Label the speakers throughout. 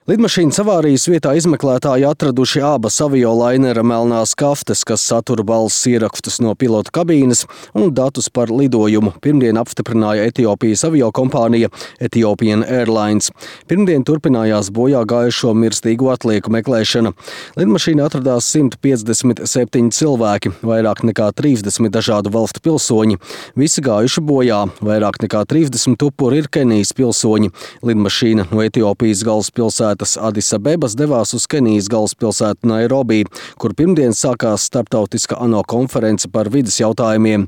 Speaker 1: Lidmašīnas avārijas vietā izmeklētāji atraduši abas aviolainera melnās kaftes, kas satura balss ierakstus no pilota kabīnes un datus par lidojumu. Pirmdien apstiprināja Etiopijas aviokompānija Ethiopian Airlines. Pirmdien turpinājās bojā gājušo mirstīgo atlieku meklēšana. Lidmašīnā atradās 157 cilvēki, vairāk nekā 30 dažādu valstu pilsoņi. Visi gājuši bojā, vairāk nekā 30 upuri ir Kenijas pilsoņi. Lidmašīna no Etiopijas galvaspilsētas Adis Abebas devās uz Kenijas galvaspilsētu Nairobi, kur pirmdien sākās starptautiska ANO konference par vides jautājumiem.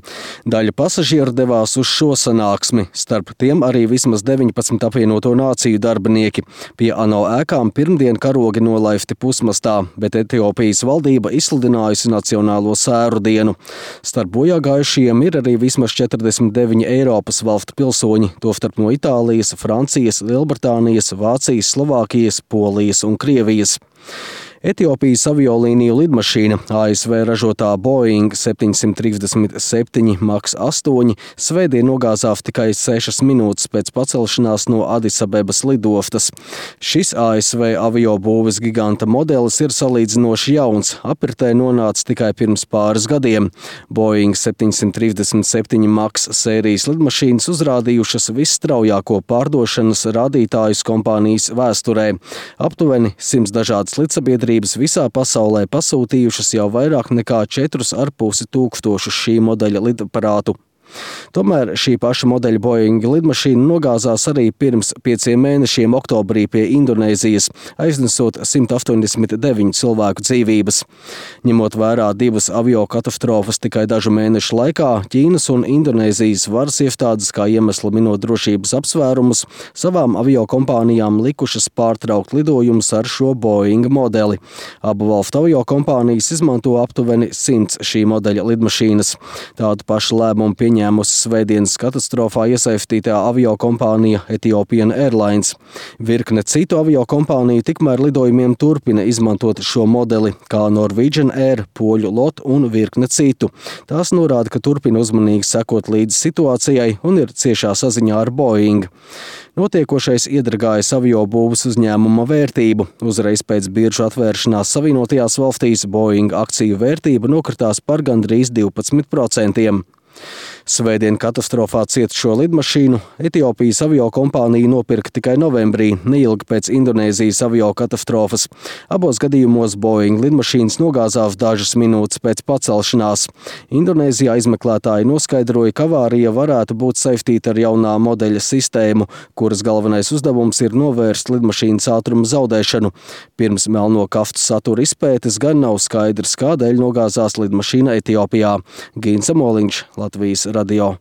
Speaker 1: Daļa pasažieru devās uz šo sanāksmi, starp tiem arī vismaz 19 apvienoto nāciju darbinieki. Pie ANO ēkām pirmdien karogi nolaifti pusmastā, bet Etiopijas valdība izsludinājusi nacionālo sēru dienu. Starp bojā gājušajiem ir arī vismaz 49 Eiropas valstu pilsoņi, tostarp no Itālijas, Francijas, Lielbritānijas, Vācijas, Slovākijas, Polijas un Krievijas. Etiopijas aviolīniju lidmašīna ASV ražotā Boeing 737 MAX 8 svētdien nogāzās tikai 6 minūtes pēc pacelšanās no Adis Abebas lidostas. Šis ASV aviobūves giganta modelis ir salīdzinoši jauns, apritē nonāca tikai pirms pāris gadiem. Boeing 737 MAX sērijas lidmašīnas uzrādījušas visstraujāko pārdošanas rādītājus kompānijas vēsturē. Aptuveni 100 dažādas lidsabiedrības visā pasaulē pasūtījušas jau vairāk nekā 4,5 tūkstošus šī modeļa lidaparātu. Tomēr šī paša modeļa Boeing lidmašīna nogāzās arī pirms 5 mēnešiem oktobrī pie Indonēzijas, aiznesot 189 cilvēku dzīvības. Ņemot vērā divas aviokatastrofas tikai dažu mēnešu laikā, Ķīnas un Indonēzijas varas iestādes, kā iemeslu minot drošības apsvērumus, savām aviokompānijām likušas pārtraukt lidojumus ar šo Boeing modeli. Abu valstu aviokompānijas izmanto aptuveni 100 šī modeļa lidmašīnas. Tādu pašu lēmumu pieņēmusi svētdienas katastrofā iesaistītā aviokompānija Ethiopian Airlines. Virkne citu aviokompāniju tikmēr lidojumiem turpina izmantot šo modeli, kā Norwegian Air, Poļu LOT un virkne citu. Tās norāda, ka turpina uzmanīgi sekot līdz situācijai un ir ciešā saziņā ar Boeing. Notiekošais iedragājas aviobūves uzņēmuma vērtību. Uzreiz pēc biržu atvēršanās Savienotajās valstīs Boeing akciju vērtība nokritās par gandrīz 12%. Svētdien katastrofā cietušo lidmašīnu Etiopijas aviokompānija nopirka tikai novembrī, neilgi pēc Indonēzijas aviokatastrofas. Abos gadījumos Boeing lidmašīnas nogāzās dažas minūtes pēc pacelšanās. Indonēzijā izmeklētāji noskaidroja, ka avārija varētu būt saistīta ar jaunā modeļa sistēmu, kuras galvenais uzdevums ir novērst lidmašīnas ātruma zaudēšanu. Pirms melno kaftu satura izpētes gan nav skaidrs, kādēļ nogāzās lidmašīna Etiopijā. Gīns Amoliņš, Latvijas radio.